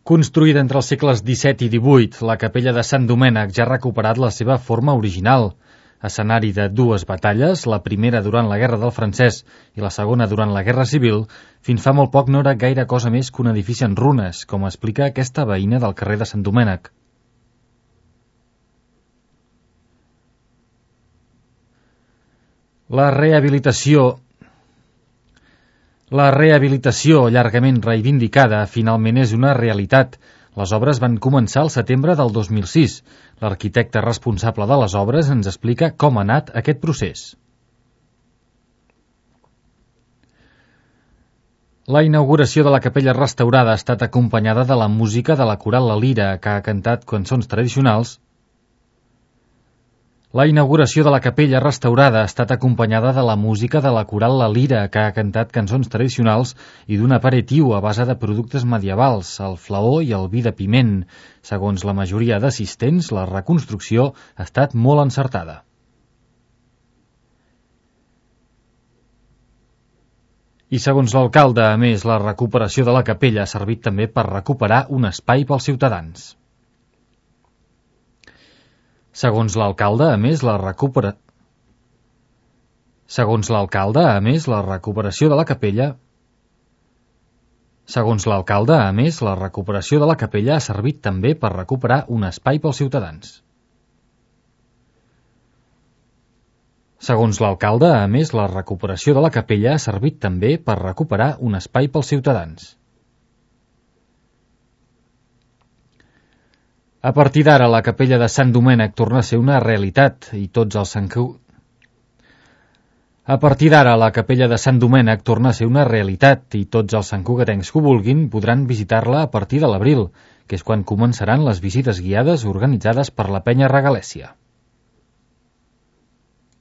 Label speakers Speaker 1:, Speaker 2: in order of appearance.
Speaker 1: Construïda entre els segles XVII i XVIII, la capella de Sant Domènec ja ha recuperat la seva forma original. Escenari de dues batalles, la primera durant la Guerra del Francès i la segona durant la Guerra Civil, fins fa molt poc no era gaire cosa més que un edifici en runes, com explica aquesta veïna del carrer de Sant Domènec. La rehabilitació, llargament reivindicada, finalment és una realitat. Les obres van començar al setembre del 2006. L'arquitecte responsable de les obres ens explica com ha anat aquest procés. La inauguració de la capella restaurada ha estat acompanyada de la música de la coral La Lira, que ha cantat cançons tradicionals. La inauguració de la capella restaurada ha estat acompanyada de la música de la coral La Lira, que ha cantat cançons tradicionals i d'un aperitiu a base de productes medievals, el flaó i el vi de piment. Segons la majoria d'assistents, la reconstrucció ha estat molt encertada. I segons l'alcalde, a més, la recuperació de la capella ha servit també per recuperar un espai pels ciutadans. Segons l'alcalde, a més, la recuperació de la capella ha servit també per recuperar un espai pels ciutadans. Segons l'alcalde, a més, la recuperació de la capella ha servit també per recuperar un espai pels ciutadans. A partir d'ara, la capella de Sant Domènec torna a ser una realitat i tots els santcugatencs que ho vulguin podran visitar-la a partir de l'abril, que és quan començaran les visites guiades organitzades per la Penya Regalèssia.